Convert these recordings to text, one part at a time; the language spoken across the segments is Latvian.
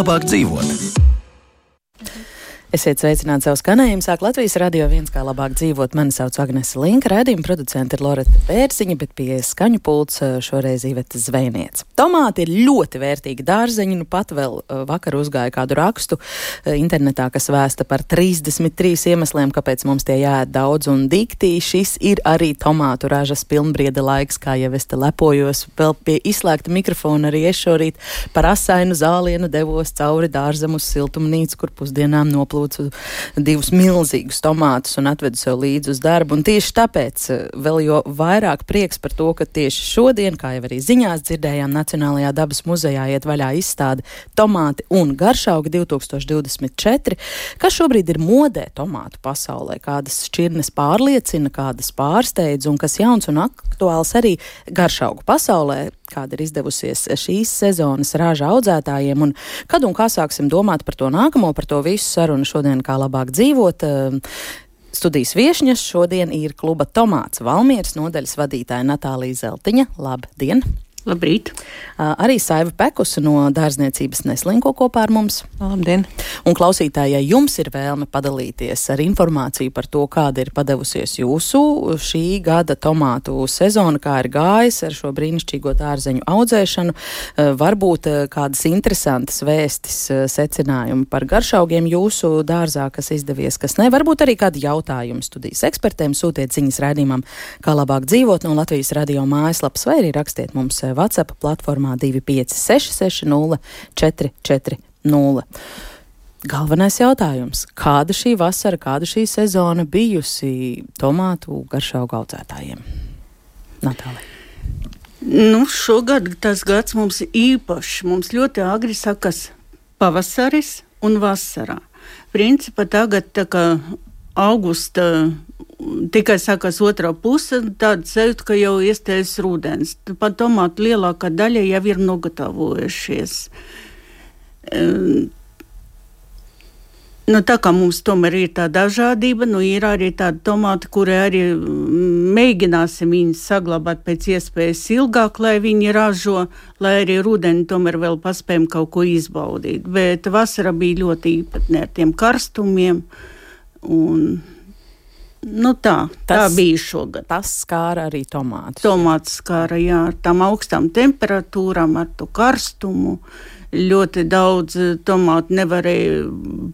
labāk dzīvot. Esiet sveicināti savu skanējumu. Sāk Latvijas Radio 1, kā labāk dzīvot. Mani sauc Agnese Linka, raidījuma producente ir Loreta Bērziņa, bet pie skaņu pults šoreiz Iveta Zvejniece. Tomāti ir ļoti vērtīgi dārzeņi. Nu pat vēl vakar uzgāja kādu rakstu internetā, kas vēsta par 33 iemesliem, kāpēc mums tie jāēd daudz un dikti. Šis ir arī tomātu ražas pilnbrieda laiks, kā jau es te lepojos. Vēl pie izslēgta mikrofona arī es šorīt par asainu zālienu devos cauri dārzam uz siltumnīcu, kur pusdienām noplūdu divus milzīgus tomātus un atvedu sev līdzi uz darbu. Un tieši tāpēc vēl jo vairāk prieks par to, ka tieši šodien, kā jau arī ziņās dzirdējām, Nacionālajā dabas muzejā iet vaļā izstāde Tomāti un garšaugi 2024, kas šobrīd ir modē tomātu pasaulē, kādas šķirnes pārliecina, kādas pārsteidz un kas jauns un aktuāls arī garšaugu pasaulē, kāda ir izdevusies šīs sezonas raža audzētājiem, un kad un kā sāksim domāt par to nākamo, par to visu sarunu šodien, kā labāk dzīvot. Studijas viešņas šodien ir kluba Tomāts Valmieras nodaļas vadītāja Natālija Zeltiņa. Labdien! Labrīt! Arī Saiva Pekusa no dārzniecības Neslinko kopā ar mums. Labdien! Un klausītāji, ja jums ir vēlme padalīties ar informāciju par to, kāda ir padevusies jūsu šī gada tomātu sezona, kā ir gājis ar šo brīnišķīgo dārzeņu audzēšanu, varbūt kādas interesantas vēstis, secinājumi par garšaugiem jūsu dārzā, kas izdevies, kas ne, varbūt arī kādi jautājumi studijas ekspertiem, sūtiet ziņas raidījumam, kā labāk dzīvot no Latvijas Radio mājaslapas, vai arī rakstiet mums WhatsApp platformā 256 440. Galvenais jautājums. Kāda šī vasara, kāda šī sezona bijusi tomātu garšaugu audzētājiem? Natālija. Šogad tas gads mums ir īpašs. Mums ļoti agri sakas pavasaris un vasarā. Principā tagad tā kā augusta tikai sākās otrā puse, tāda sajūta, ka jau iestājas rudens. Pat tomātu lielākā daļa jau ir nogatavojušies. Tā kā mums tomēr ir tā dažādība, ir arī tāda tomāti, kuri arī mēģināsim viņus saglabāt pēc iespējas ilgāk, lai viņi ražo, lai arī rudeni tomēr vēl paspējam kaut ko izbaudīt. Bet vasara bija ļoti īpatnē ar tiem karstumiem un tā bija šogad. Tas skāra arī tomātus. Tomātus skāra, jā, ar tām augstām temperatūrām, ar to karstumu. Ļoti daudz tomātu nevarēja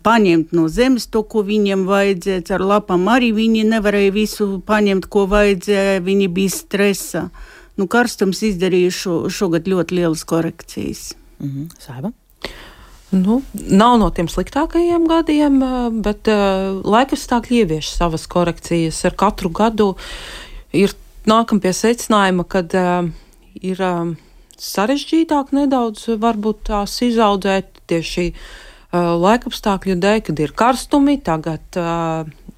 paņemt no zemes to, ko viņiem vajadzēja. Ar lapām arī viņi nevarēja visu paņemt, ko vajadzēja. Viņi bija stresā. Karstums izdarīja šogad ļoti lielas korekcijas. Saiba? Nav no tiem sliktākajiem gadiem, bet laikapstākļi ievieš savas korekcijas. Ar katru gadu nākam pie secinājuma, kad ir sarežģītāk nedaudz varbūt tās izaudzēt tieši laikapstākļu dēļ, kad ir karstumi, tagad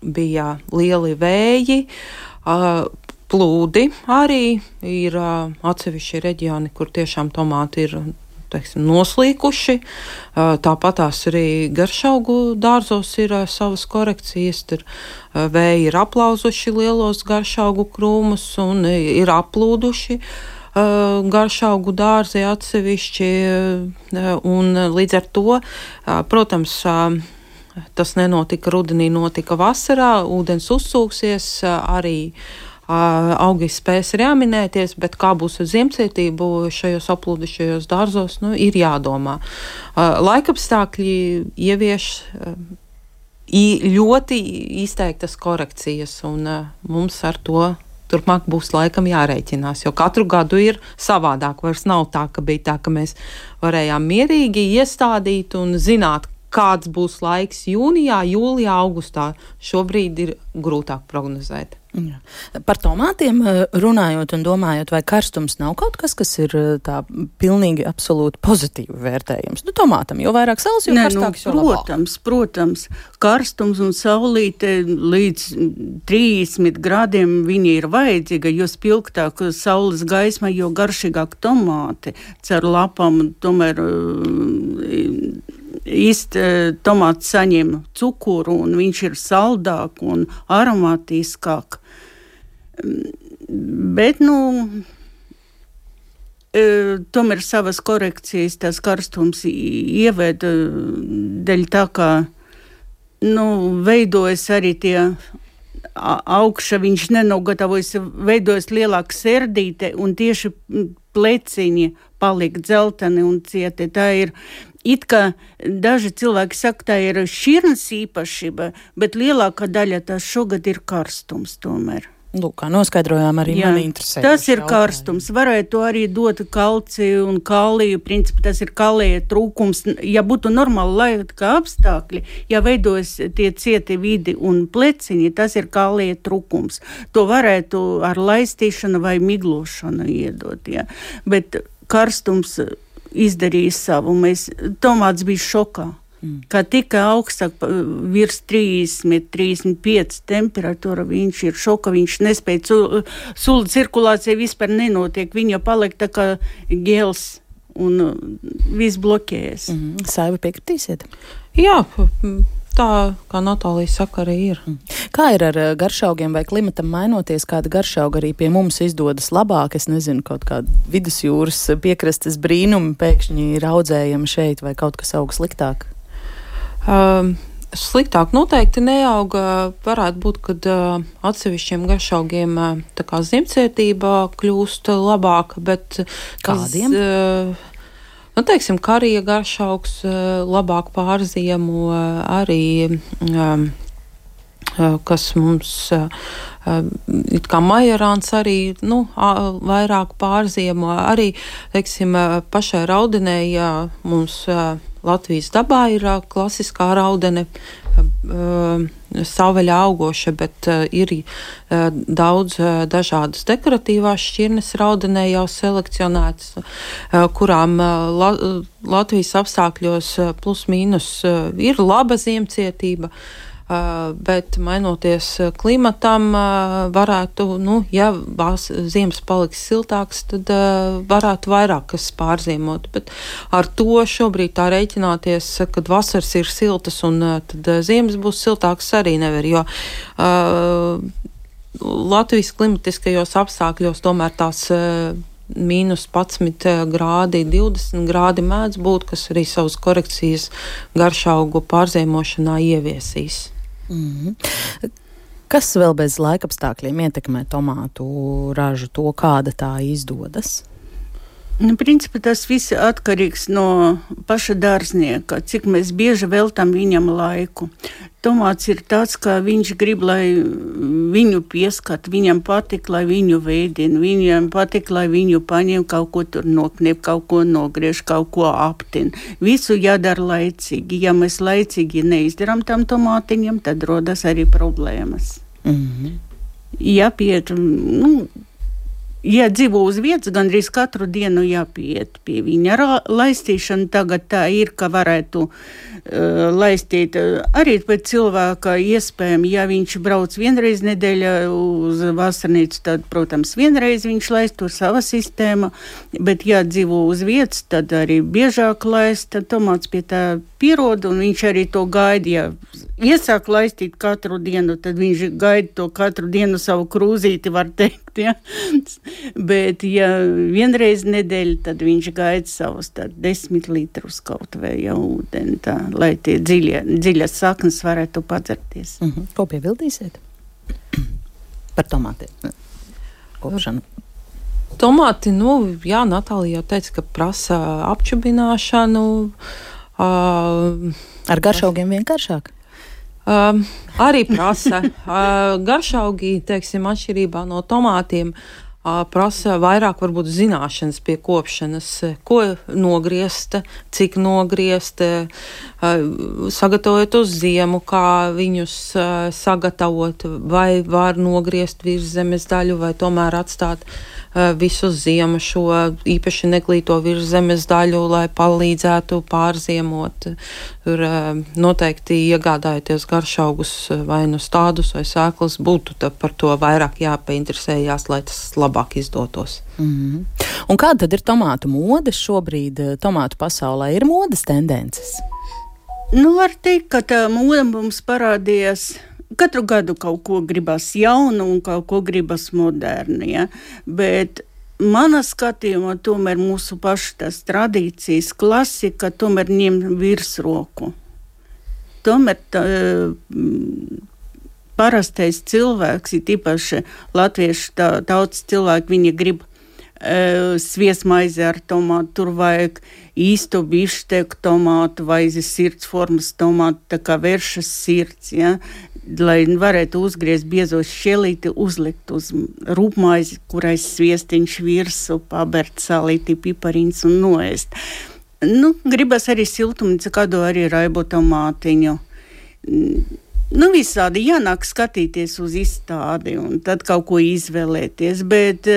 bija lieli vēji, plūdi arī ir atsevišķi reģioni, kur tiešām tomāti ir noslīkuši. Tāpat tās arī garšaugu dārzos ir savas korekcijas. Tur vēji ir aplauzuši lielos garšaugu krūmus un ir aplūduši garšaugu dārzi atsevišķi. Un līdz ar to, protams, tas nenotika rudenī, notika vasarā. Ūdens uzsūksies arī. Augi spēs reaminēties, bet kā būs ar ziemcietību šajos aplūdušajos dārzos, ir jādomā. Laikapstākļi ievieš ļoti izteiktas korekcijas, un mums ar to turpmāk būs laikam jārēķinās, jo katru gadu ir savādāk. Vairs nav tā, ka bija tā, ka mēs varējām mierīgi iestādīt un zināt, kāds būs laiks jūnijā, jūlijā, augustā. Šobrīd ir grūtāk prognozēt. Jā. Par tomātiem runājot un domājot, vai karstums nav kaut kas, kas ir tā pilnīgi absolūti pozitīvi vērtējums? Tomātam, jo vairāk saules, jo karstāks, jo labāk. Protams, karstums un saulīte līdz 30 grādiem viņi ir vajadzīga, jo spilgtāk saules gaisma, jo garšīgāk tomāti cer lapām, tomēr tomāts saņem cukuru un viņš ir saldāk un aromātiskāk. Bet, tomēr savas korekcijas tās karstums ieved dēļ tā, kā veidojas arī tie augša, viņš nenogatavojas, veidojas lielāka serdīte un tieši pleciņi paliek dzelteni un cieti. Tā ir it kā daži cilvēki saka, tā ir šķirnes īpašība, bet lielākā daļa tās šogad ir karstums tomēr. Lūk, kā noskaidrojām, arī mani interesē. Tas ir karstums. Varētu arī dot kalciju un kāliju. Principā tas ir kalija trūkums. Ja būtu normāli laika apstākļi, ja veidojas tie cieti vidi un pleciņi, tas ir kalija trūkums. To varētu ar laistīšanu vai miglošanu iedot. Ja. Bet karstums izdarīja savu. Tomāts bija šokā. Kā tika augstāk virs 30, 35 temperatūra, viņš ir šoka, viņš nespēja, sula cirkulācija vispār nenotiek, viņa paliek tā kā gels un viss bloķējas. Saiva, piekritīsiet? Jā, tā kā Natālija saka, arī ir. Kā ir ar garšaugiem vai klimatam mainoties, kāda garšauga arī pie mums izdodas labāk? Es nezinu, kaut kāda vidusjūras piekrastes brīnumi pēkšņi ir audzējami šeit vai kaut kas aug sliktāk? Sliktāk noteikti neauga. Varētu būt, kad atsevišķiem garšaugiem tā kā ziemcietība kļūst labāka, bet kādiem? Teiksim, karija garšaugs labāk pārziemo, arī kas mums it kā majerāns arī vairāk pārziemo. Arī, teiksim, pašai raudenei mums Latvijas dabā ir klasiskā raudene, savvaļā augoša, bet ir daudz dažādas dekoratīvās šķirnes raudenē jau selekcionētas, kurām Latvijas apstākļos plus mīnus ir laba ziemcietība. Bet mainoties klimatam, varētu, ja ziemas paliks siltāks, tad varētu vairāk kas pārziemot. Bet ar to šobrīd tā rēķināties, kad vasaras ir siltas un tad ziemas būs siltāks, arī nevar, jo Latvijas klimatiskajos apstākļos tomēr tās mīnus 11 grādi, 20 grādi mēdz būt, kas arī savas korekcijas garšaugu pārziemošanā ieviesīs. Kas vēl bez laikapstākļiem ietekmē tomātu ražu, to kāda tā izdodas? Principā tas viss atkarīgs no paša dārznieka, cik mēs bieži veltam viņam laiku. Tomāts ir tāds, ka viņš grib, lai viņu pieskat, viņam patīk, lai viņu veidina, viņam patīk, lai viņu paņem, kaut ko tur noknep, kaut ko nogriež, kaut ko aptin. Visu jādara laicīgi. Ja mēs laicīgi neizdarām tam tomātiņam, tad rodas arī problēmas. Jāpiet, ja dzīvo uz vietas, gandrīz katru dienu jāpiet pie viņa. Laistīšana tagad tā ir, ka varētu laistīt arī pēc cilvēka iespējami. Ja viņš brauc vienreiz nedēļā uz vasarnīcu, tad, protams, vienreiz viņš laist to sava sistēma, bet ja dzīvo uz vietas, tad arī biežāk laist, tad tomāts pie tā pierod, un viņš arī to gaida. Ja iesāk laistīt katru dienu, tad viņš gaida to katru dienu savu krūzīti, var teikt, ja. Bet, ja vienreiz nedēļa, tad viņš gaida savus 10 litrus kaut vai jau ūdeni, tā, lai tie dziļas saknes varētu padzerties. Ko piebildīsiet par tomātiem? Kopšanu. Tomāti, Natālija jau teica, ka prasa apčubināšanu. Ar garšaugiem vienkāršāk? Arī prasa. Garšaugi, teiksim, atšķirībā no tomātiem, prasa vairāk varbūt zināšanas pie kopšanas, ko nogriezt, cik nogriezt, sagatavot uz ziemu, kā viņus sagatavot, vai var nogriezt virs zemes daļu, vai tomēr atstāt visu ziemu šo īpaši neglīto virs zemes daļu, lai palīdzētu pārziemot. Tur noteikti iegādājoties garšaugus vai nu stādus vai sēklas, būtu par to vairāk jāpainteresējās, lai tas labāk izdotos. Un kāda tad ir tomātu mode šobrīd? Tomātu pasaulē ir modes tendences? Var teikt, ka tā moda mums parādījās. Katru gadu kaut ko gribas jaunu un kaut ko gribas modernu, ja? Bet mana skatījumā tomēr mūsu pašu tās tradīcijas klasika tomēr ņem virsroku. Tomēr parastais cilvēks, ir īpaši latviešu tautas cilvēki, viņi grib sviestmaizi ar tomātu, tur vajag īsto bišteku tomātu vai sirds formas tomātu, tā kā vēršas sirds, ja? Lai varētu uzgriezt biezo šķelīti, uzlikt uz rūpmaizi, kurai sviestiņš virsu, pabert salīti, pipariņas un noēst. Gribas arī siltumnīca, kādu arī raibo tomātiņu. Visādi jānāk skatīties uz izstādi un tad kaut ko izvēlēties, bet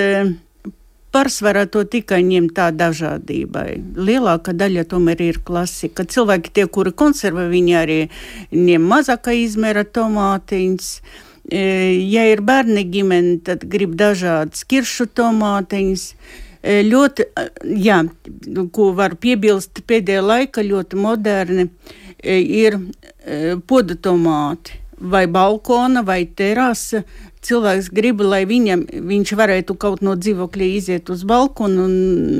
pārsvarā to tikai ņem tā dažādībai. Lielākā daļa tomēr ir klasika. Cilvēki tie, kuri konservē, viņi arī ņem mazākā izmēra tomātiņas. Ja ir bērni ģimeni, tad grib dažādas kiršu tomātiņas. Ļoti, ko var piebilst pēdējā laika, ļoti moderni ir poda tomāti. Vai balkona, vai terasa. Cilvēks grib, lai viņš varētu kaut no dzīvokļa iziet uz balkonu un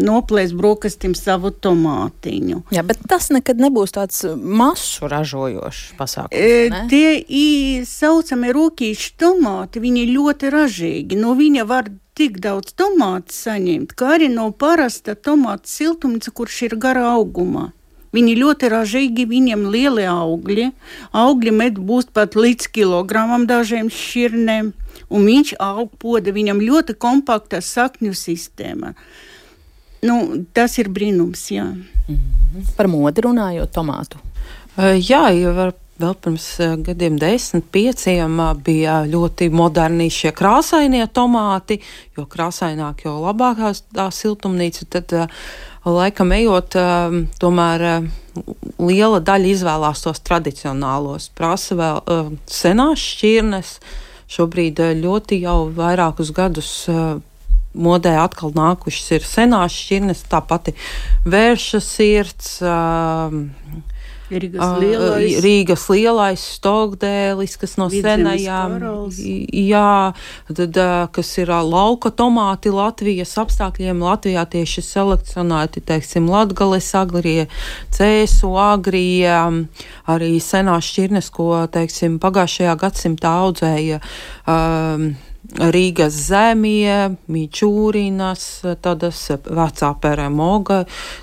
noplēst brokastīm savu tomātiņu. Jā, bet tas nekad nebūs tāds masu ražojošs pasākums, ne? Tie saucamie rūkīši tomāti, viņi ļoti ražīgi. No viņa var tik daudz tomātu saņemt, kā arī no parasta tomāta siltumnīca, kurš ir gara augumā. Viņi ļoti ražīgi, viņiem lieli augļi. Augļi med būs pat līdz kilogramam dažiem šķirnēm. Un viņš aug poda, viņam ļoti kompakta sakņu sistēma. Tas ir brīnums, jā. Par modi runājot tomātu. Jā, jau vēl pirms gadiem 10-5 bija ļoti moderni šie krāsainie tomāti, jo krāsaināk, jo labākās tā siltumnīca, tad laikam ejot, tomēr liela daļa izvēlās tos tradicionālos, prasa vēl senās šķirnes. Šobrīd ļoti jau vairākus gadus modē atkal nākušas ir senās šķirnes, tā pati vērša sirds, Rīgas lielais stogdēlis, kas no senajām, tad, kas ir lauka tomāti Latvijas apstākļiem. Latvijā tieši selekcionēti, teiksim, Latgales agrie, cēsu agrie, arī senās šķirnes, ko, teiksim, pagājušajā gadsimtā audzēja Rīgas zemie, Mičūrinas, tādas vecā peremoga,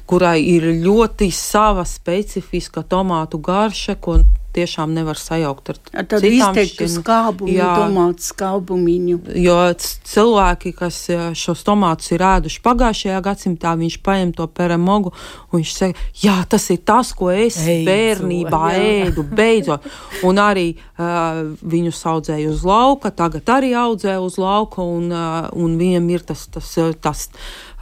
kurai ir ļoti sava specifiska tomātu garša, ko tiešām nevar sajaukt ar tādu izteiktu skābumu, tomātu skābumiņu. Jo cilvēki, kas šos tomātus ir ēduši pagājušajā gadsimtā, viņš paņem to peremogu un viņš saka, jā, tas ir tas, ko es bērnībā ēdu, beidzot. Un arī viņus audzēja uz lauka, tagad arī audzē uz lauka, un viņam ir tas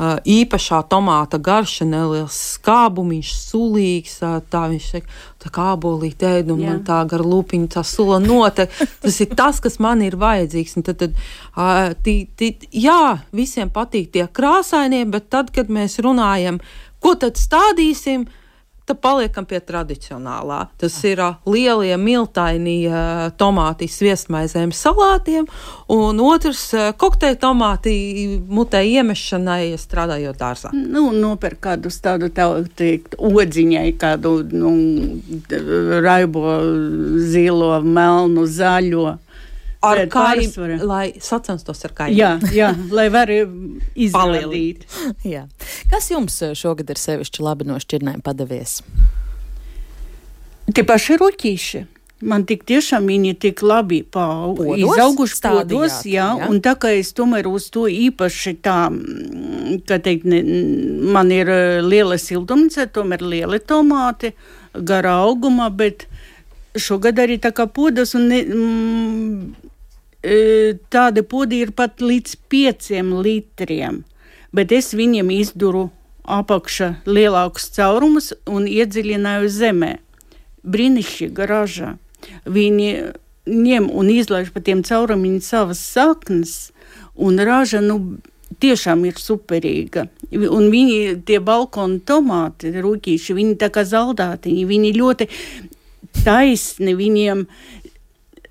īpašā tomāta garša, neliels skābumiņš, sulīgs, tā viņš saka, tā kā ābolīt ēd, un man tā gar lūpiņu tā sula notek. Tas ir tas, kas man ir vajadzīgs. Un tad visiem patīk tie krāsainie, bet tad, kad mēs runājam, ko tad stādīsim, tad paliekam pie tradicionālā. Tas ir lielie miltainie tomāti sviestmaizēm salātiem, un otrs kokteļu tomāti mutē iemešanai, strādājot dārzā. Nopērk kādu tādu, teikt, odziņai, kādu raibo zilo, melnu, zaļo. Ar kāju, lai sacenstos ar kāju. Jā, lai var izrādīt. Jā. Kas jums šogad ir sevišķi labi no šķirnēm padevies? Tie paši ruķīši. Man tik tiešām viņi tik labi izauguši podos, un tā kā es tomēr uz to īpaši tā, kā teikt, man ir liela siltumnīca, tomēr lieli tomāti, garā augumā, bet šogad arī tā kā podas, un tādi podi ir pat līdz 5 litriem, bet es viņiem izduru apakša lielākus caurumus un iedziļināju zemē. Brīnišķīga raža. Viņi ņem un izlaiž pa tiem caurumiem savas saknes, un raža, tiešām ir superīga. Un viņi, tie balkona tomāti, rūkīši, viņi tā kā zaldātiņi, viņi ļoti taisni, viņiem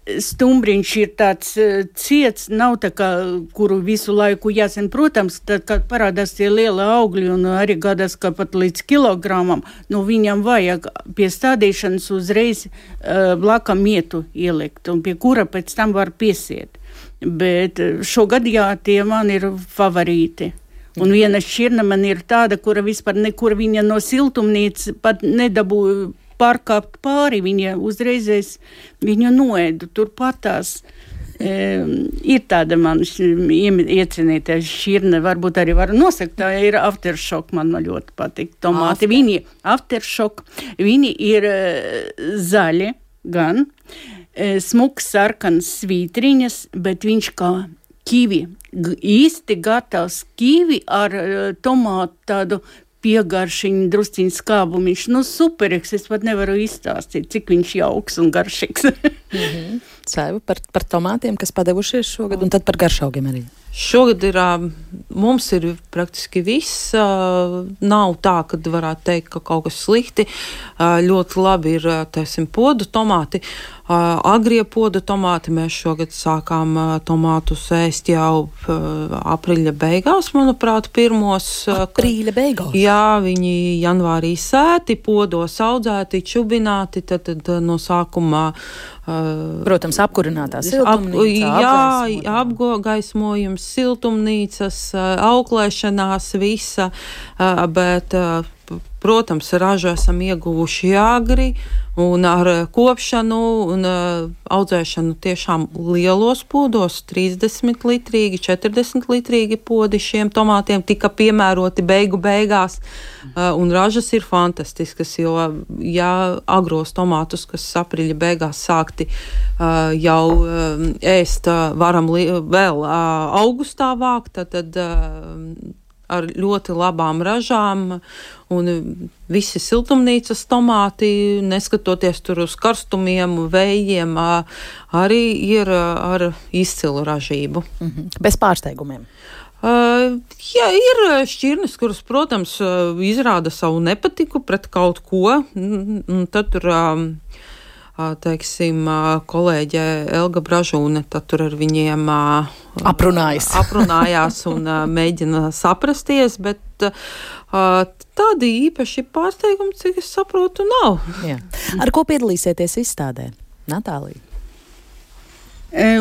stumbriņš ir tāds ciets, nav tā kā, kuru visu laiku jāsen. Protams, tad, kad parādās tie liela augļi un arī gadās, ka pat līdz kilogramam, viņam vajag pie stādīšanas uzreiz blakam mietu ielikt, un pie kura pēc tam var piesiet. Bet šogad, tie man ir favorīti. Un viena šķirne man ir tāda, kura vispār nekur viņa no siltumnīcas pat nedabūja pārkāpt pāri, viņa uzreizēs viņu noēdu turpatās. Ir tāda man iecinītā šķirne, varbūt arī varu nosakt, tā ir aftershock, man ļoti patīk tomāti. Viņi aftershock, viņi ir zaļi gan, smuks sarkanas svītriņas, bet viņš kā kivi, īsti gatavs kivi ar tomātu tādu piegaršiņu, drusciņu skābumiņš. Superīgs, es pat nevaru izstāstīt, cik viņš jauks un garšīgs. Saiva, par tomātiem, kas padevušies šogad, un tad par garšaugiem arī. Šogad mums ir praktiski viss. Nav tā, ka varētu teikt, ka kaut kas slikti. Ļoti labi ir, podu tomāti. Agrie podu tomāti. Mēs šogad sākām tomātus ēst jau aprīļa beigās, manuprāt, pirmos. Aprīļa beigās? Jā, viņi janvārī sēti, podos audzēti, čubināti, tad no sākumā protams, apkurinātā siltumnīca. Apgaismojums, siltumnīcas, auklēšanās, visa, bet, protams, ražu esam ieguvuši agri un ar kopšanu un audzēšanu tiešām lielos podos, 30 litrīgi, 40 litrīgi podi šiem tomātiem tika piemēroti beigās, un ražas ir fantastiskas, jo, agros tomātus, kas aprīļa beigās sākti jau ēst, varam vēl augustā vākt, tad ar ļoti labām ražām, un visi siltumnīcas tomāti, neskatoties tur uz karstumiem, vējiem, arī ir ar izcilu ražību. Bez pārsteigumiem? Ir šķirnes, kuras, protams, izrāda savu nepatiku pret kaut ko, un tad tur kolēģe Elga Bražūne, tad tur ar viņiem aprunājās un mēģina saprasties, bet tādi īpaši pārsteigumi, cik es saprotu, nav. Jā. Ar ko piedalīsieties izstādē? Natālija?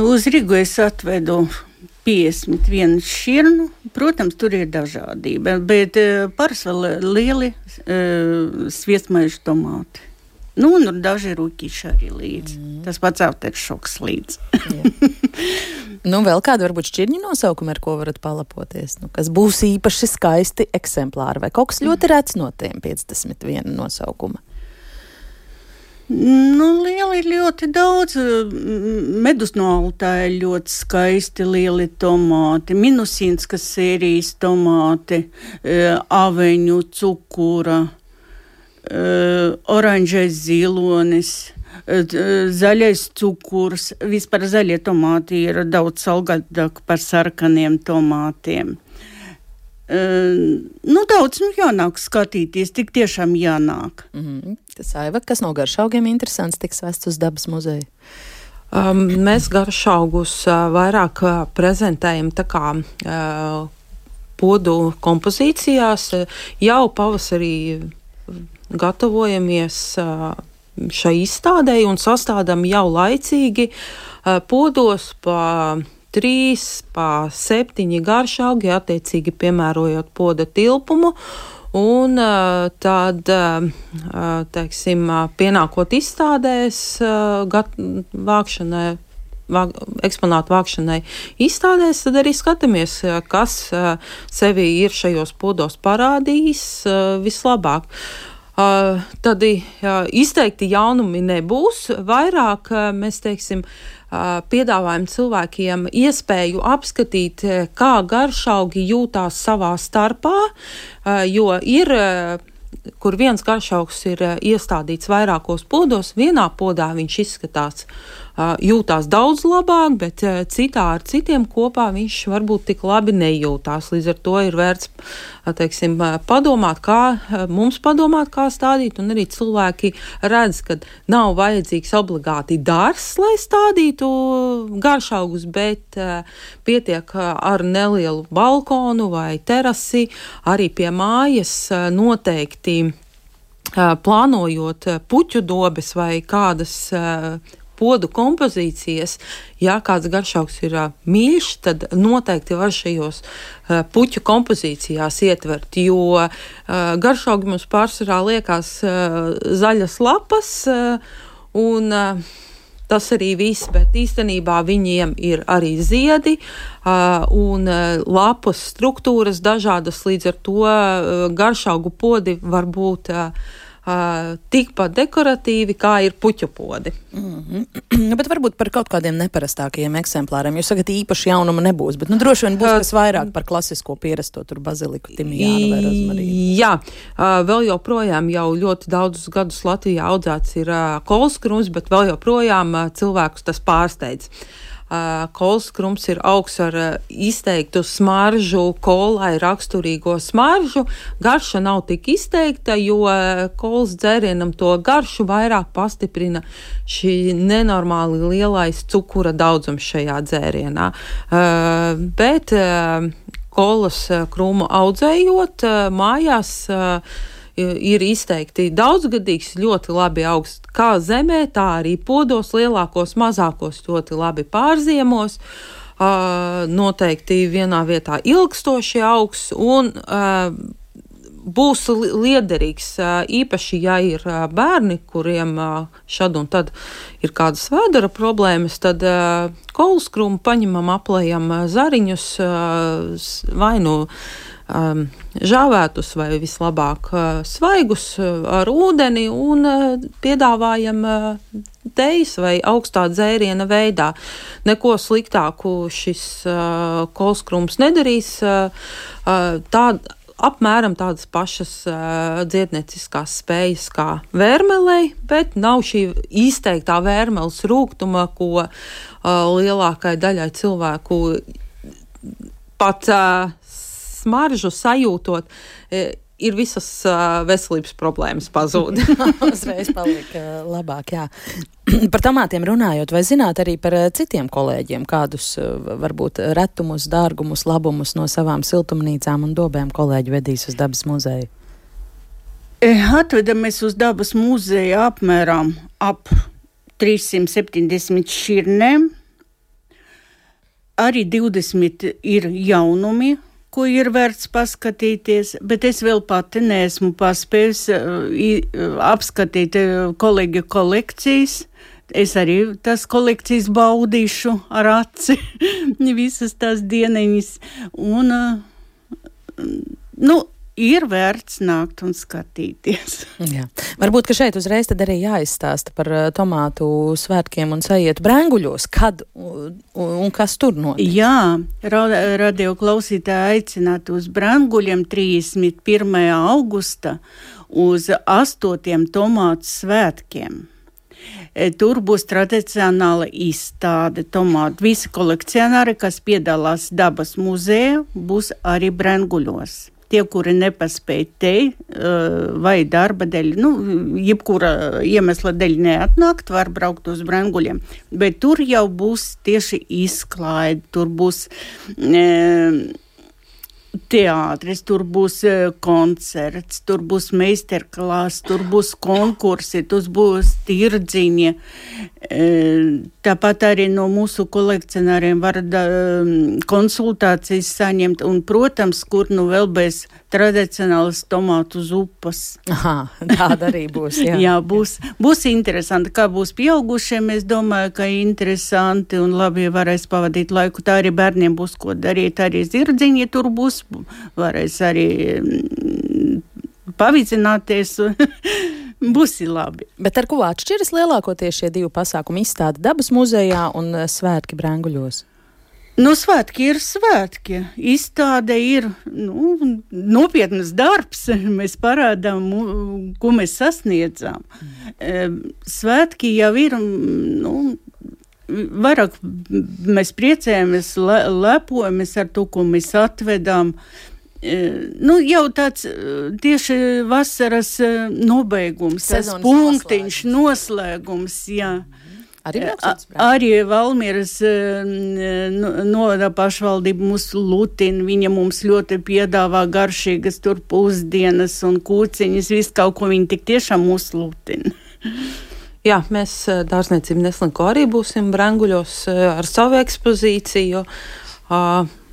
Uz Rigu es atvedu 51 šķirnu. Protams, tur ir dažādība, bet parasti vēl lieli sviestmaižu tomāti. Un daži rūķīši arī līdz. Tas pats aftershoks līdz. Vēl kādu varbūt šķirņu nosaukumu, ar ko varat palapoties? Kas būs īpaši skaisti eksemplāri, vai kaut kas ļoti rets no tiem 51 nosaukuma? Lieli ir ļoti daudz. Medus no Altāja ļoti skaisti lieli tomāti, minusīnskas sērijas tomāti, aveņu, cukura, oranžais zilonis, zaļais cukurs. Vispār zaļie tomāti ir daudz salgādāk par sarkaniem tomātiem. Daudz jānāk skatīties, tik tiešām jānāk. Saiva, kas no garšaugiem interesants tiks vests uz dabas muzeju? Mēs garšaugus vairāk prezentējam tā kā podu kompozīcijās. Jau pavasarī gatavojamies šai izstādei un sastādām jau laicīgi podos pa 3, pa 7 garšaugi, attiecīgi piemērojot poda tilpumu, un tad, pienākot izstādēs, eksponātu vākšanai izstādēs, tad arī skatāmies, kas sevi ir šajos podos parādījis vislabāk. Tad izteikti jaunumi nebūs, vairāk mēs, piedāvājam cilvēkiem iespēju apskatīt, kā garšaugi jūtās savā starpā, jo ir, kur viens garšaugs ir iestādīts vairākos podos, vienā podā viņš izskatās jūtās daudz labāk, bet citā ar citiem kopā viņš varbūt tik labi nejūtās. Līdz ar to ir vērts, teiksim, padomāt, kā stādīt, un arī cilvēki redz, ka nav vajadzīgs obligāti dārzs, lai stādītu garšaugus, bet pietiek ar nelielu balkonu vai terasi, arī pie mājas noteikti plānojot puķu dobes vai kādas podu kompozīcijas, ja kāds garšaugs ir mīļš, tad noteikti var šajos puķu kompozīcijās ietvert, jo garšaugi mums pārsvarā liekas zaļas lapas un tas arī viss, bet īstenībā viņiem ir arī ziedi un lapas struktūras dažādas, līdz ar to garšaugu podi var būt tikpat dekoratīvi, kā ir puķu podi. Bet varbūt par kaut kādiem neparastākajiem eksemplāriem. Jūs sakat, īpaši jaunuma nebūs, bet droši vien būs kas vairāk par klasisko pierasto tur baziliku, timijānu vai rozmarīnu. Jā, vēl joprojām jau ļoti daudzus gadus Latvijā audzēts ir kolskrums, bet vēl joprojām cilvēkus tas pārsteidz. Kolskrums ir augs ar izteiktu smaržu, kolai raksturīgo smaržu. Garša nav tik izteikta, jo kolas dzērienam to garšu vairāk pastiprina šī nenormāli lielais cukura daudzums šajā dzērienā. Bet kolas krūmu audzējot mājās ir izteikti daudzgadīgs, ļoti labi augsts kā zemē, tā arī podos, lielākos, mazākos ļoti labi pārziemos, noteikti vienā vietā ilgstoši augs un būs liederīgs, īpaši, ja ir bērni, kuriem šad un tad ir kādas vēdera problēmas, tad kolskrūmu paņemam, aplējam zariņus, vai nu žāvētus vai vislabāk svaigus ar ūdeni un piedāvājam tejas vai augstā dzēriena veidā. Neko sliktāku šis kolskrums nedarīs. Apmēram tādas pašas dziednieciskās spējas kā vērmelei, bet nav šī izteiktā vērmeles rūgtuma, ko lielākai daļai cilvēku pat smaržu sajūtot, ir visas veselības problēmas pazūd. Uzreiz palika labāk, jā. Par tomātiem runājot, vai zināt arī par citiem kolēģiem, kādus varbūt retumus, dārgumus, labumus no savām siltumnīcām un dobēm kolēģi vedīs uz dabas muzeju? Atvedamies uz dabas muzeju apmēram ap 370 šķirnēm. Arī 20 ir jaunumi, ko ir vērts paskatīties, bet es vēl pati neesmu paspējusi apskatīt kolēģu kolekcijas. Es arī tās kolekcijas baudīšu ar aci visas tās dieniņas. Un, ir vērts nākt un skatīties. Jā. Varbūt, ka šeit uzreiz tad arī jāizstāsta par tomātu svētkiem un saietu Brenguļos. Kad un kas tur notiek? Jā, radio klausītāji aicinātu uz Brenguļiem 31. augusta uz 8. tomātu svētkiem. Tur būs tradicionāla izstāde tomātu. Visi kolekcionāri, kas piedalās dabas muzejā, būs arī Brenguļos. Tie, kuri nepaspēja te vai darba dēļ, jebkura iemesla dēļ neatnākt, var braukt uz Brenguļiem. Bet tur jau būs tieši izklaide, tur būs teātris, tur būs koncerts, tur būs meistarklāss, tur būs konkursi, tur būs tirdziņi. Tāpat arī no mūsu kolekcionāriem var konsultācijas saņemt un, protams, kur vēl bez tradicionālas tomātu zupas. Aha, tāda arī būs, jā. Jā, būs interesanti. Kā būs pieaugušiem, es domāju, ka interesanti un labi varēs pavadīt laiku. Tā arī bērniem būs ko darīt, arī zirdziņi tur būs, varēs arī pavizināties. Būs labi. Bet ar ko atšķiras lielākoties šie divi pasākumi, izstāde dabas muzejā un svētki Brenguļos? Svētki ir svētki. Izstāde ir nopietnas darbs. Mēs parādām, ko mēs sasniedzām. Svētki jau ir vairāk mēs priecējamies, lepojamies ar to, ko mēs atvedām. Jau tāds tieši vasaras nobeigums, tas punktiņš, noslēgums, jā. Arī Valmieras novada pašvaldība mūs lutina, viņa mums ļoti piedāvā garšīgas tur pusdienas un kūciņas, visu kaut ko viņa tik tiešām mūs lutina. Jā, mēs Dārzniecība Neslinko arī būsim Brenguļos ar savu ekspozīciju.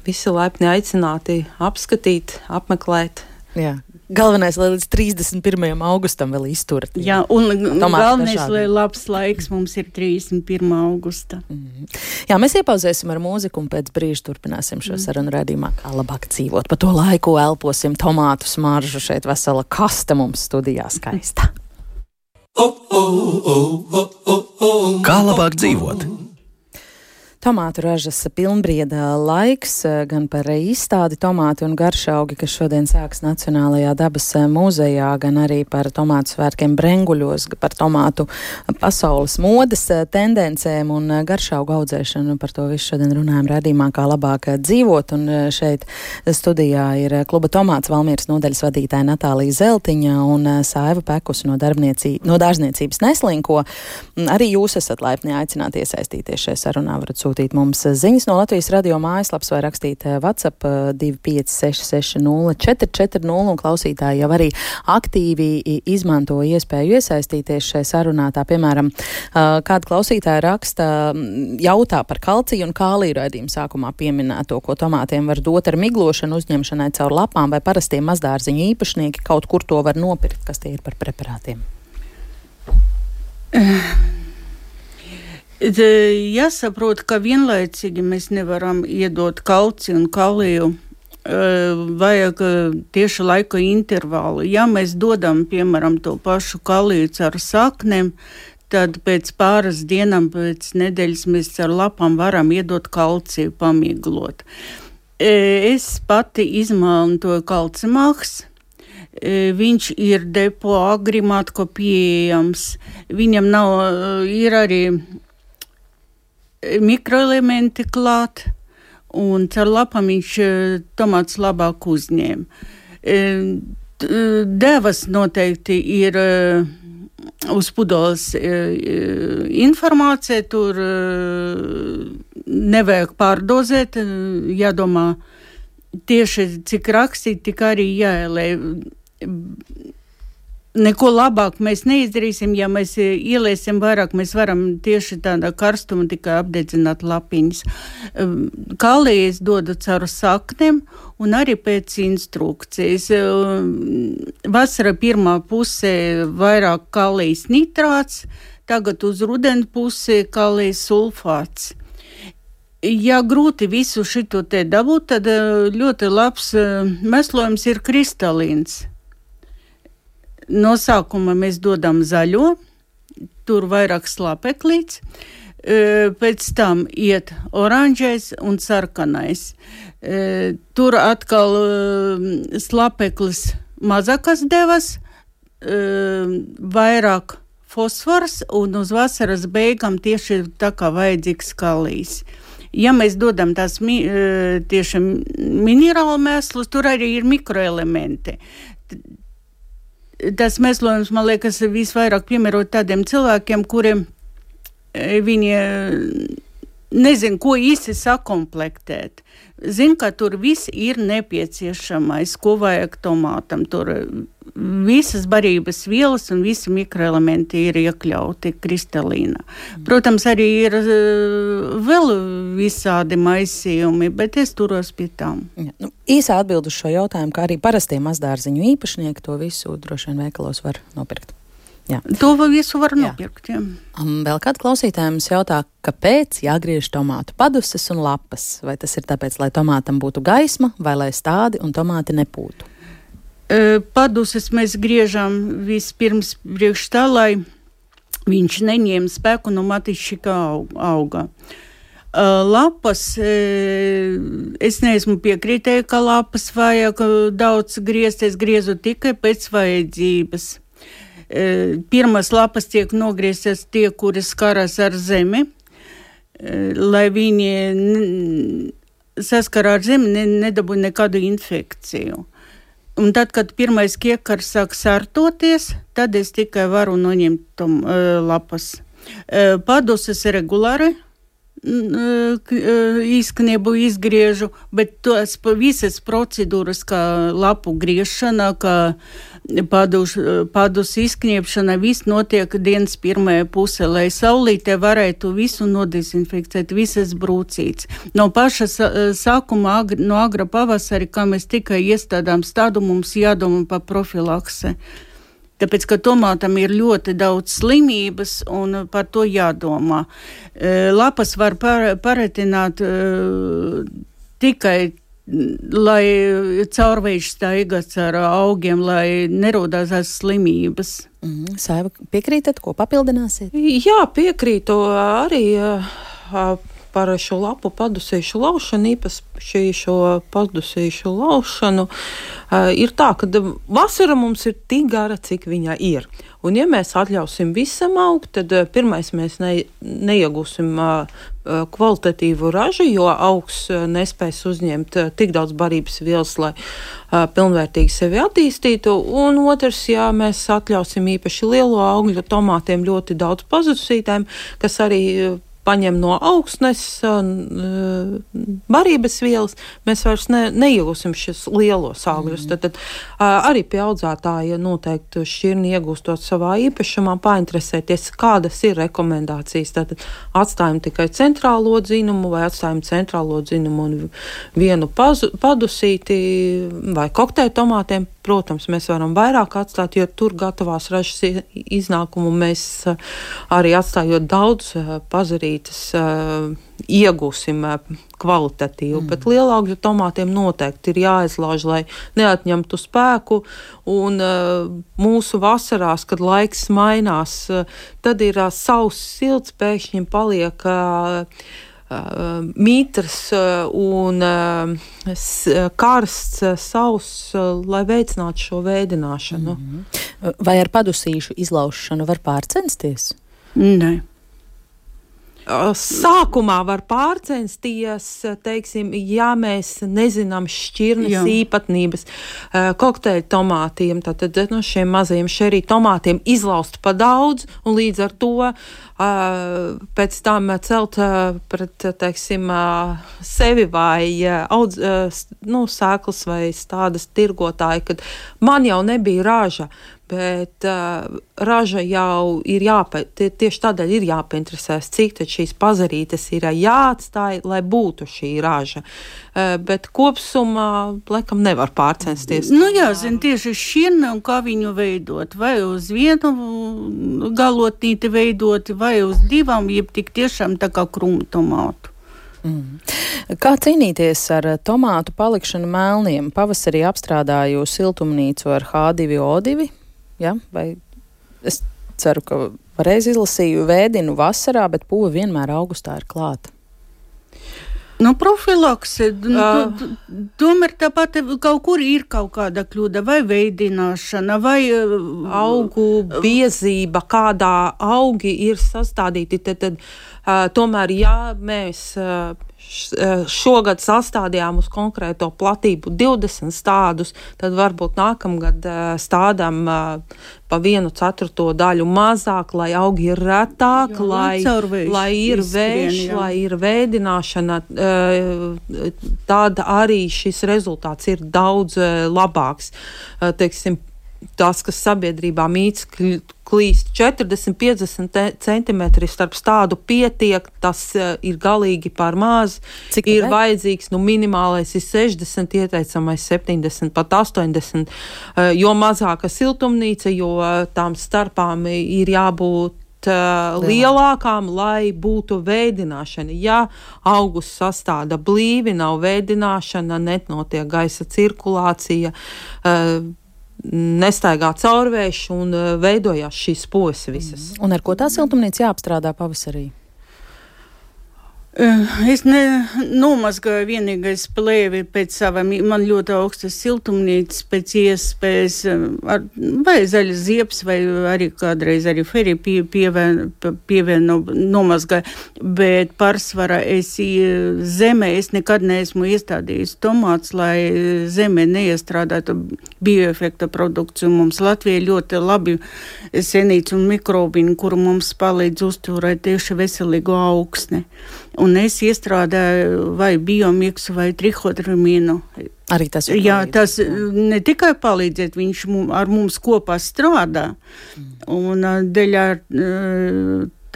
Visi laipni aicināti apskatīt, apmeklēt. Jā. Galvenais, lai līdz 31. augustam vēl izturat. Jā, un galvenais, lai labs laiks mums ir 31. augusta. Jā, mēs iepauzēsim ar mūziku un pēc brīža turpināsim šo sarunu raidījumā, kā labāk dzīvot. Pa to laiku elposim tomātu smaržu, šeit vesela kaste mums studijā skaista. Kā labāk dzīvot? Tomātu ražas pilnbrieda laiks, gan par izstādi tomāti un garšaugi, kas šodien sāks Nacionālajā dabas muzejā, gan arī par tomātu svētkiem Brenguļos, par tomātu pasaules modes tendencēm un garšaugu audzēšanu. Par to visu šodien runājam raidījumā, kā labāk dzīvot. Un šeit studijā ir kluba Tomāts Valmieras nodaļas vadītāja Natālija Zeltiņa un Saiva Pekus no Dārzniecības Neslinko. Arī jūs esat laipni aicināti iesaistīties šajā sarunā. Varat sūtīt mums ziņas no Latvijas radio mājaslapas vai rakstīt WhatsApp 25660 un klausītāji jau arī aktīvi izmanto iespēju iesaistīties šai sarunā. Tā, piemēram, kāda klausītāja raksta, jautā par kalciju un kāliju raidījumu sākumā pieminēto, ko tomātiem var dot ar miglošanu uzņemšanai caur lapām, vai parastie mazdārziņu īpašnieki kaut kur to var nopirkt, kas tie ir par preparātiem. Jāsaprot, ka vienlaicīgi mēs nevaram iedot kalciju un kaliju, vajag tieši laika intervālu. Ja mēs dodam, piemēram, to pašu kaliju ar saknēm, tad pēc pāris dienām, pēc nedēļas mēs ar lapām varam iedot kalciju pamiglot. Es pati izmantoju kalcimāks. Viņš ir depo agrimātko pieejams. Viņam ir arī mikroelementi klāt, un caur lapām viņš tomāts labāk uzņēma. Devas noteikti ir uz pudeles informācija, tur nevajag pārdozēt, jādomā tieši cik rakstīt, tik arī jāielē. Neko labāk mēs neizdarīsim, ja mēs ieliesim vairāk, mēs varam tieši tādā karstuma tikai apdedzināt lapiņas. Kalijas dodu caur saknēm un arī pēc instrukcijas. Vasara pirmā pusē vairāk kalijas nitrāts, tagad uz rudeni pusē kalijas sulfāts. Ja grūti visu šito te dabūt, tad ļoti labs meslojums ir kristalīns. No sākuma mēs dodam zaļo, tur vairāk slāpeklīts, pēc tam iet oranžais un sarkanais. Tur atkal slāpeklis mazākas devas, vairāk fosfors un uz vasaras beigām tieši tā kā vajadzīgs kalijas. Ja mēs dodam tās tieši minerālu mēslus, tur arī ir mikroelementi. Tas mēslojums, man liekas, visvairāk piemērot tādiem cilvēkiem, kuriem viņi nezin, ko īsti sakomplektēt. Zin, ka tur viss ir nepieciešamais, ko vajag tomātam. Tur visas barības vielas un visi mikroelementi ir iekļauti kristalīnā. Protams, arī ir vēl visādi maisījumi, bet es turos pie tām. Ja, īsā atbild uz šo jautājumu, ka arī parastie mazdārziņu īpašnieki to visu droši vien veikalos var nopirkt. Jā. To visu var nopirkt, jā. Vēl kāds klausītājums jautā, kāpēc jāgriež tomātu paduses un lapas? Vai tas ir tāpēc, lai tomātam būtu gaisma, vai lai stādi un tomāti nepūtu? Paduses mēs griežam vispirms priekš tā, lai viņš neņem spēku no matišķi kā auga. Lapas, es neesmu piekritēju, ka lapas vajag daudz griezt, es griezu tikai pēc vajadzības. Pirmās lapas tiek nogrieztas tie, kuri skaras ar zemi. lai viņi saskarā ar zemi, nedabūja nekādu infekciju. Un tad, kad pirmais kiekars sāk sārtoties, tad es tikai varu noņemt lapas. Paduses regulāri īskniebu izgriežu, bet tos visas procedūras, kā lapu griešana, kā padus izkniepšana, viss notiek dienas pirmajā pusē, lai saulītē varētu visu nodezinfekcēt, visas brūcītes. No paša sākuma, no agra pavasari, kā mēs tikai iestādām stādu, mums jādomā par profilakse. Tāpēc, ka tomātam ir ļoti daudz slimības un par to jādomā. Lapas var paretināt tikai, lai caurvējš staigas ar augiem, lai nerodās slimības. Saiva, piekrītat, ko papildināsiet? Jā, piekrītu arī par šo lapu padusīšu laušanu, īpaši šo padusīšu laušanu. Ir tā, ka vasara mums ir tik gara, cik viņa ir. Un ja mēs atļausim visam augt, tad pirmais mēs neiegūsim kvalitatīvu ražu, jo augs nespēs uzņemt tik daudz barības vielas, lai pilnvērtīgi sevi attīstītu. Un otrs, ja mēs atļausim īpaši lielo augļu tomātiem ļoti daudz pazudusītēm, kas arī paņem no augsnes barības vielas, mēs vairs neiegūsim šis lielos augļus. Tad arī pie audzētāja noteikti šķirni iegūstot savā īpašumā, painteresēties, kādas ir rekomendācijas. Tad atstājam tikai centrālo dzinumu vai atstājam centrālo dzinumu un vienu padusīti vai kokteļu tomātiem. Protams, mēs varam vairāk atstāt, jo tur gatavās ražas iznākumu mēs arī atstājot daudz pazarītas iegūsim kvalitatīvu, bet lielāugļu tomātiem noteikti ir jāizlauž, lai neatņemtu spēku, un mūsu vasarās, kad laiks mainās, tad ir sauss silts, pēkšņi paliek mitrs un karsts, sauss, lai veicinātu šo veidināšanu. Vai ar padusīšu izlaušanu var pārcensties? Nē. Sākumā var pārcensties, teiksim, ja mēs nezinām šķirnes īpatnības kokteļu tomātiem, tad no šiem mazajiem šerī tomātiem izlaust pa daudz un līdz ar to pēc tam celt pret, teiksim, sevi vai sēklas vai tādas tirgotāji, kad man jau nebija raža. Bet raža jau ir tieši tādēļ ir jāpainteresēs, cik tad šīs pazarītes ir jāatstāj, lai būtu šī raža. Bet kopsumā, laikam, nevar pārcensties. Jāzina tieši šķirne un kā viņu veidot. Vai uz vienu galotnīti veidot, vai uz divām, jeb tik tiešām tā kā krūmu tomātu. Kā cīnīties ar tomātu palikšanu melniem? Pavasarī apstrādāju siltumnīcu ar H2O2. Ja? Vai es ceru, ka pareizi izlasīju, vēdinu vasarā, bet pūve vienmēr augustā ir klāta. Profilakse, tomēr tāpat kaut kur ir kaut kāda kļūda, vai veidināšana, vai augu biezība, kādā augi ir sastādīti, tad tomēr, ja mēs šogad sastādījām uz konkrēto platību 20 stādus, tad varbūt nākamgad stādām pa 1/4 daļu mazāk, lai augi ir retāk, lai ir vējš, lai ir veidināšana, tad arī šis rezultāts ir daudz labāks. Teiksim, tās, kas sabiedrībā mīts klīst 40-50 centimetri starp stādu pietiek, tas ir galīgi par maz. Cik ir vajadzīgs, minimālais ir 60, ieteicamais 70, pat 80, jo mazāka siltumnīca, jo tām starpām ir jābūt lielākām, lai būtu veidināšana. Ja augus sastāda blīvi, nav veidināšana, nenotiek gaisa cirkulācija, nestaigā caurvējš un veidojās šīs pojas visas. Un ar ko tā siltumnīca jāapstrādā pavasarī? Es nomazgāju vienīgais plēvi pēc savām, man ļoti augstas siltumnīcas pēc iespējas, vai zaļas ziepes, vai arī kādreiz arī feriju pievienu nomazgāju, bet pārsvarā zemē es nekad neesmu iestādījis tomāts, lai zemē neiestrādātu bioefekta produkciju. Mums Latvijā ļoti labi senīts un mikrobini, kuru mums palīdz uzturēt tieši veselīgu augsni. Un es iestrādāju vai biomiksu vai trihodramīnu. Arī tas ir Jā, tas ne tikai palīdziet, viņš ar mums kopā strādā. Un dēļ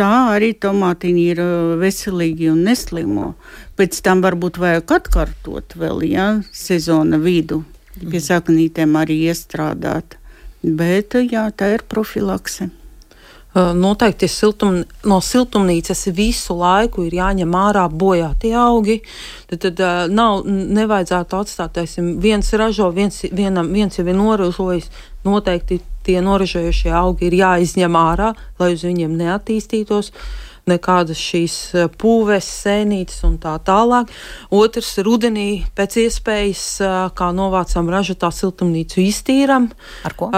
tā arī tomātiņi ir veselīgi un neslimo. Pēc tam varbūt vajag atkārtot vēl, sezona vidu. Pie saknītēm arī iestrādāt. Bet, tā ir profilakse. Noteikti no siltumnīcas visu laiku ir jāņem ārā bojātie augi. Tad nevajadzētu atstāt, teiksim, viens ražo, viens jau ir noražojis. Noteikti tie noražojušie augi ir jāizņem ārā, lai uz viņiem neattīstītos nekādas šīs pūves, sēnītes un tā tālāk. Otrs, rudenī pēc iespējas, kā novācam ražotā siltumnīcu, iztīram. Ar ko?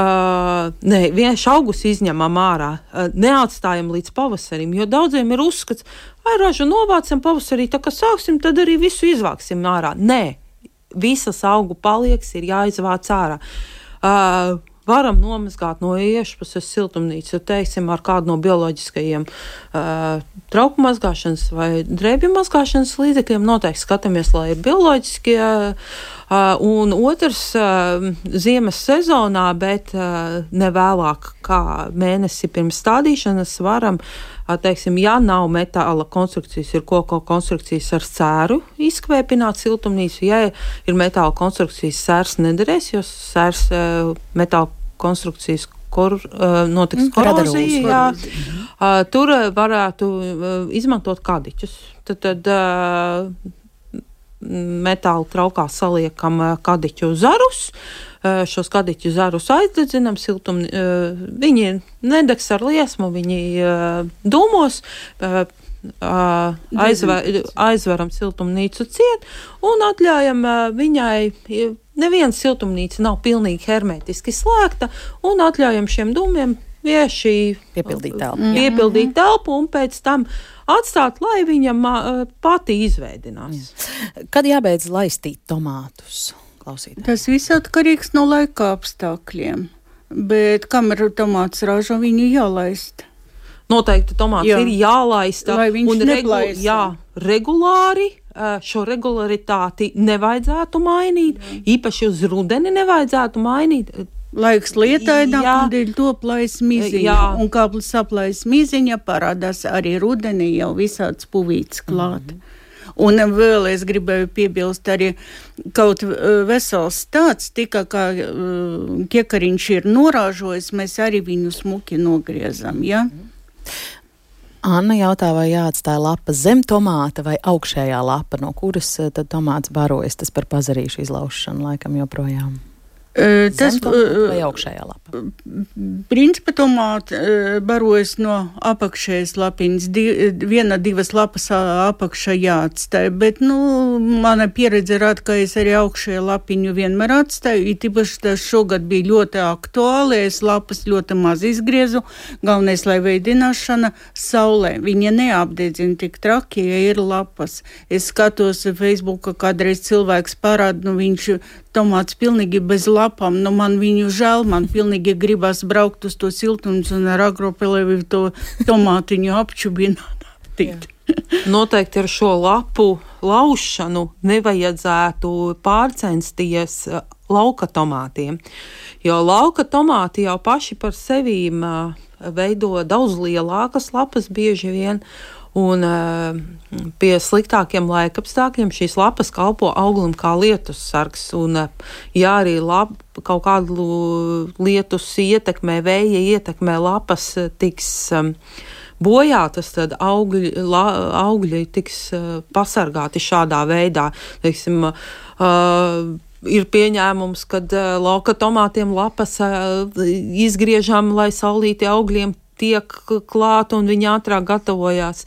Vienkārši augus izņemam ārā. Neatstājam līdz pavasarim, jo daudziem ir uzskats, vai ražu novācam pavasarī, tā kā sāksim, tad arī visu izvāksim ārā. Nē, visas augu paliekas ir jāizvāc ārā. Varam nomazgāt no iešpuses siltumnīcu, teiksim, ar kādu no bioloģiskajiem trauku mazgāšanas vai drēbju mazgāšanas līdzekļiem. Noteikti skatāmies, lai ir bioloģiskie. Un otrs, ziemas sezonā, bet ne vēlāk kā mēnesi pirms stādīšanas varam, teiksim, ja nav metāla konstrukcijas, ir koku konstrukcijas ar sēru izkvēpināt siltumnīcu. Ja ir metāla konstrukcijas, sērs nederēs, jo sērs metāla konstrukcijas, kur notiks korozija. Tur varētu izmantot kadiķus. Tad metāla traukā saliekam kadiķu zarus. Šos kadiķu zarus aizdedzinam, viņi nedegs ar liesmu, viņi dūmos, aizveram siltumnīcu ciet un atļaujam viņai, neviena siltumnīca nav pilnīgi hermetiski slēgta, un atļaujam šiem dūmiem vienkārši piepildīt telpu un pēc tam atstāt, lai viņa pati izveidinās. Kad jābeidz laistīt tomātus? Klausītāji. Tas viss atkarīgs no laika apstākļiem, bet kamēr tomāts ražo, viņu jālaist. Noteikti tomāts ir jālaista. Lai viņš neplaisa. Regulāri. Šo regularitāti nevajadzētu mainīt, īpaši uz rudeni nevajadzētu mainīt. Laiks lietaināk, un dēļ to plais miziņa. Un kā saplais miziņa, parādās arī rudenī jau visāds puvīts klāt. Un vēl es gribēju piebilst arī kaut vesels tāds, tikai kā kiekariņš ir norāžojis, mēs arī viņu smuki nogriezam, Anna jautā, vai jāatstāja lapa zem tomāta vai augšējā lapa, no kuras tad tomāts barojas, tas par pazarīšu izlaušanu laikam joprojām. Tas vai augšējā lapa? Principā tomāti barojas no apakšējas lapiņas, divas lapas apakšā jāatstāja, bet, mana pieredze rāda, ka es arī augšējā lapiņu vienmēr atstāju, īpaši tas šogad bija ļoti aktuāli, es lapas ļoti maz izgriezu, galvenais, lai veidināšana saulē, viņa neapdedzina tik traki, ja ir lapas. Es skatos Facebooka, kādreiz cilvēks parāda, viņš tomāts pilnīgi bez lapām, man viņu žēl, man pilnīgi gribas braukt uz to siltums un ar agropelēvi to tomātiņu apčubināt. Noteikti ar šo lapu laušanu nevajadzētu pārcensties lauka tomātiem, jo lauka tomāti jau paši par sevīm veido daudz lielākas lapas bieži vien, un pie sliktākiem laikapstākļiem šīs lapas kalpo auglim kā lietus sargs, un ja arī kaut kādu lietus ietekmē, vēja ietekmē, lapas tiks bojātas, tad augļi tiks pasargāti šādā veidā. Teiksim, ir pieņēmums, kad lauka tomātiem lapas izgriežam, lai saulīti augļiem tiek klāt un viņi ātrāk gatavojās.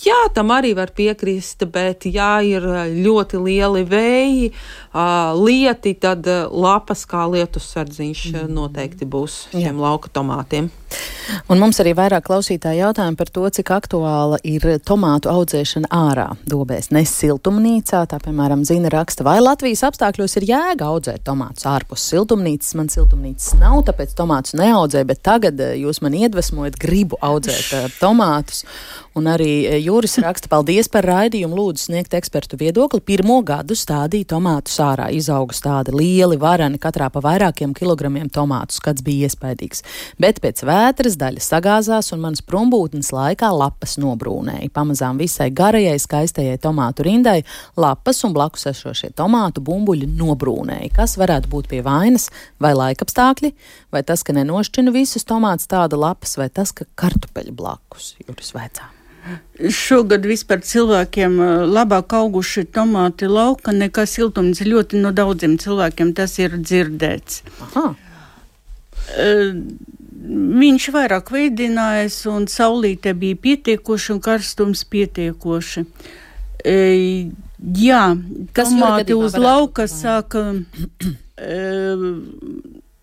Jā, tam arī var piekrist, bet ja ir ļoti lieli vēji, lieti, tad lapas kā lietussardziņš noteikti būs šiem lauka tomātiem. Un mums arī vairāk klausītāji jautājumi par to, cik aktuāla ir tomātu audzēšana ārā dobēs, ne siltumnīcā. Tā, piemēram, Zina raksta, vai Latvijas apstākļos ir jēga audzēt tomātus ārpus siltumnīcas. Man siltumnīcas nav, tāpēc tomātus neaudzēju, bet tagad jūs man iedvesmojat, gribu audzēt tomātus. Un arī Jūris raksta, paldies par raidījumu, lūdzu sniegt ekspertu viedokli. 1. gadu stādīja tomātus ārā, izauga tādi lieli varani, katrā pa vairākiem kilogramiem tomātus, skats bija iespaidīgs. Bet pēc vētras daļa sagāzās un manas prombūtnes laikā lapas nobrūnēja. Pamazām visai garajai, skaistajai tomātu rindai lapas un blakus esošie tomātu bumbuļi nobrūnēja. Kas varētu būt pie vainas? Vai laikapstākļi? Vai tas, ka nenošķina visus tomātus tāda lapas? Vai tas, ka kartupeļi blakus? Jūris vaicā. Šogad vispār cilvēkiem labāk auguši tomāti lauka nekā siltumnīca. Ļoti no daudziem cilvēkiem tas ir dzirdēts. Aha. Viņš vairāk veidinājas un saulīte bija pietiekoši un karstums pietiekoši. Jā, tomāti uz lauka sāka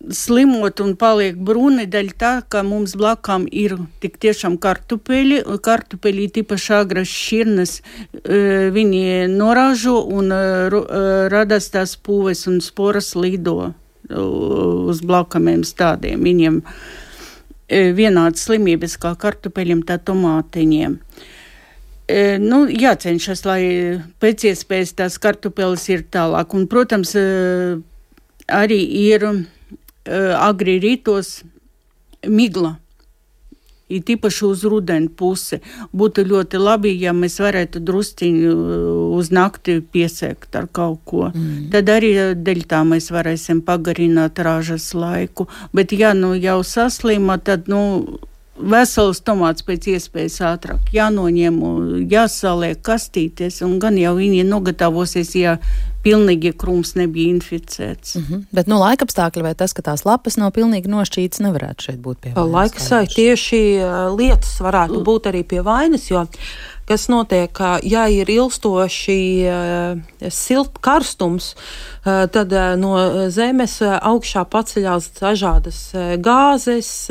slimot un paliek brūni dēļ tā, ka mums blakām ir tik tiešām kartupeļi tīpaši agras šķirnes, viņi norāžo un radās tās pūves un sporas lido uz blakamiem stādiem. Viņiem vienādas slimības kā kartupeļiem, tā tomātiņiem. Jācenšas, lai pēc iespējas tās kartupeles ir tālāk. Un, protams, arī ir agri rītos migla, ir tīpaši uz rudeni pusi. Būtu ļoti labi, ja mēs varētu drusciņu uz nakti piesēkt ar kaut ko. Tad arī dēļ tā mēs varēsim pagarināt ražas laiku. Bet ja jau saslima, tad vesels tomāts pēc iespējas ātrāk jānoņem, jāsaliek kastīties, un gan jau viņi nogatavosies, ja pilnīgi krūms nebija inficēts. Bet laikapstākļi vai tas, ka tās lapas nav pilnīgi nošķītas, nevarētu šeit būt pie vainas? Laikasai tieši lietas varētu būt arī pie vainas, jo kas notiek, ja ir ilgstoši karstums, tad no zemes augšā paceļās dažādas gāzes,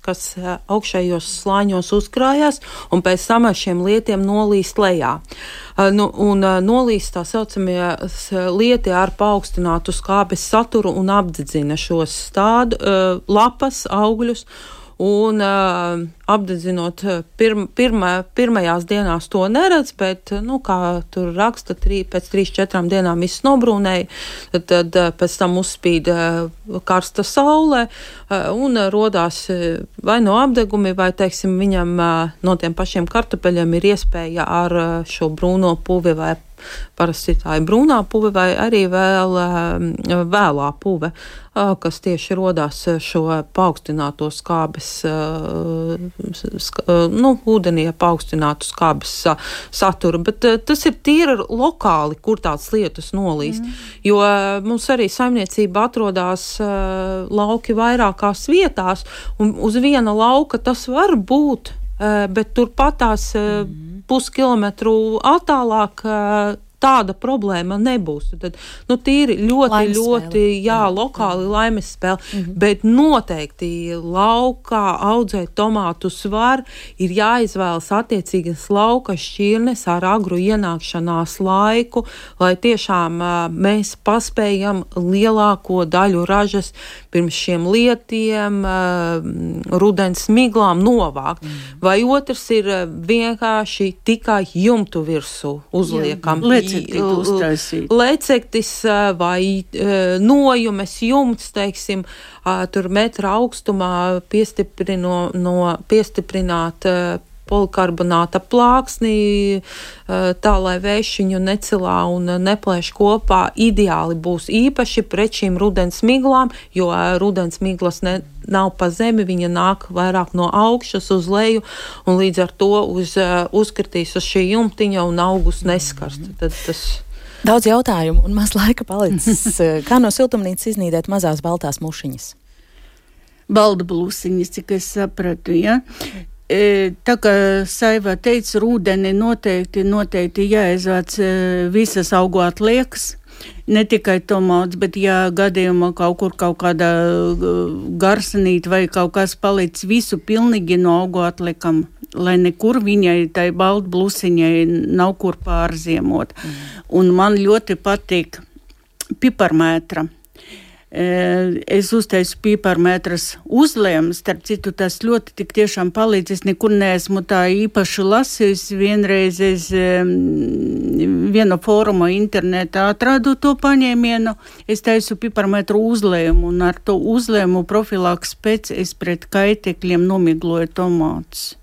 kas augšējos slāņos uzkrājās, un pēc tam ar šiem lietiem nolīst lejā. Un nolīst tā saucamie lieti ar paaugstinātu skābes saturu un apdedzina šos stādu, lapas, augļus, un apdedzinot pirmajās dienās to neredz, bet, kā tur raksta, pēc 3-4 dienām viss nobrūnēja, tad pēc tam uzspīd karsta saule un rodās vai no apdegumi, vai, teiksim, viņam no tiem pašiem kartupeļiem ir iespēja ar šo brūno puvi vai parasti tā ir brūnā puve vai arī vēlā puve, kas tieši rodās šo paaugstināto skābes, ūdenī paaugstinātu skābes saturu, bet tas ir tīri lokāli, kur tāds lietas nolīst, jo mums arī saimniecība atrodās lauki vairākās vietās, un uz viena lauka tas var būt, bet turpat tās puskilometru attālāk tāda problēma nebūs. Tad, tīri ļoti, lokāli laimes spēle, bet noteikti laukā audzēt tomātus var, ir jāizvēlas attiecīgas lauka šķirnes ar agru ienākšanās laiku, lai tiešām mēs paspējam lielāko daļu ražas pirms šiem lietiem, rudens miglām novākt. Vai otrs ir vienkārši tikai jumtu virsū uzliekam. Lecektis vai nojumes jumts, teiksim, tur metra augstumā piestiprināt polikarbonāta plāksnī, tā, lai vējš viņu necilā un neplēš kopā, ideāli būs īpaši pret šīm rudens miglām, jo rudens miglas nav pa zemi, viņa nāk vairāk no augšas uz leju, un līdz ar to uzkritīs uz šī jumtiņa un augus neskarst. Tad tas... Daudz jautājumu un maz laika palicis. Kā no siltumnīcas iznīdēt mazās baltās mušiņas? Balda blūsiņas, cik es sapratu, ja? Tā kā Saiva teica, rūdeni noteikti jāizvāc visas augu atliekas, ne tikai tomāts, bet ja gadījumā kaut kāda garsanīte vai kaut kas palicis, visu pilnīgi no augu atliekam, lai nekur viņai, tai balta blusiņai, nav kur pārziemot. Un man ļoti patīk piparmētra. Es uztaisu piparmētras uzlējumus, starp citu, tas ļoti tik tiešām palīdz. Es nekur neesmu tā īpaši lasījusi. Vienreiz es viena fóruma internetā atradu to paņēmienu. Es taisu piparmētru uzlējumu, un ar to uzlējumu profilaks pēc es pret kaitekļiem nomigloju tomātus.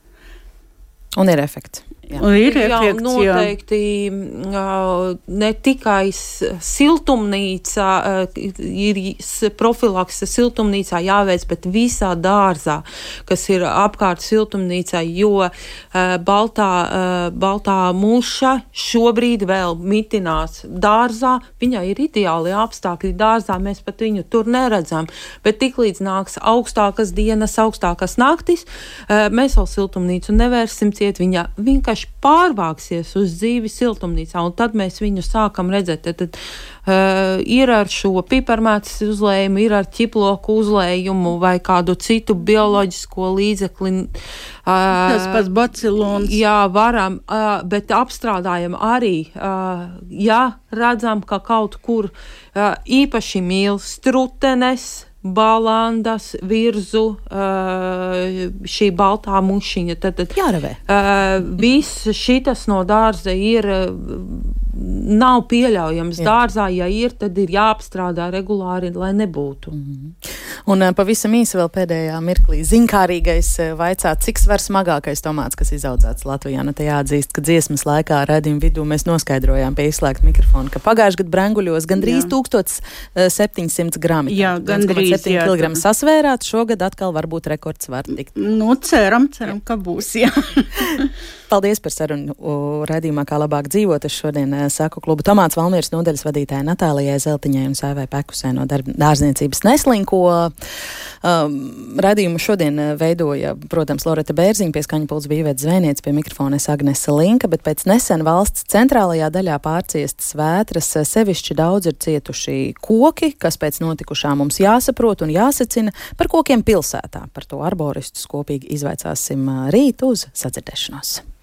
Un ir efekts. Noteikti ne tikai siltumnīcā, ir profilakse siltumnīcā jāveic, bet visā dārzā, kas ir apkārt siltumnīcā, jo baltā muša šobrīd vēl mitinās dārzā. Viņai ir ideāli apstākļi dārzā, mēs pat viņu tur neredzam, bet tiklīdz nāks augstākas dienas, augstākas naktis, mēs vēl siltumnīcu nevērsim ciet, viņa vienkārši pārvāksies uz dzīvi siltumnīcā, un tad mēs viņu sākam redzēt. Tad ir ar šo piparmētas uzlējumu, ir ar ķiploku uzlējumu vai kādu citu bioloģisko līdzekli. Tas pats bacilons. Jā, varam, bet apstrādājam arī, ja redzam, ka kaut kur īpaši mīl strutenes, balandas, virzu, šī baltā mušiņa. Tad jāravē. Viss šitas no dārza ir, nav pieļaujams dārzā. Ja ir, tad ir jāapstrādā regulāri, lai nebūtu. Un pavisam īsi vēl pēdējā mirklī ziņkārīgais vaicāt, cik svar smagākais tomāts, kas izaudzēts Latvijā. Nu, te jāatzīst, ka dziesmas laikā raidījuma vidū mēs noskaidrojām pie izslēgta mikrofona, ka pagājuši gadu Brenguļos gandrīz 1700 grami. Jā, gandrīz. 7 kg sasvērāt, šogad atkal varbūt rekords var tikt. Nu, ceram, ka būs, jā. Paldies par sarunu raidījumā Kā labāk dzīvot. Es šodien saku klubu Tomāts Valmieras nodaļas vadītāja Natālijai Zeltiņai un Saivai Pekusai no dārzniecības Neslinko. Raidījumu šodien veidoja, protams, Loreta Bērziņa, pie skaņu pults bija Iveta Zvejniece, pie mikrofona Agnese Linka, bet pēc nesen valsts centrālajā daļā pārciestas vētras sevišķi daudz ir cietuši koki, kas pēc notikušā mums jāsaprot un jāsacina par kokiem pilsētā. Par to arboristus kopīgi izvaicāsim rīt uz sadzirdēšanos.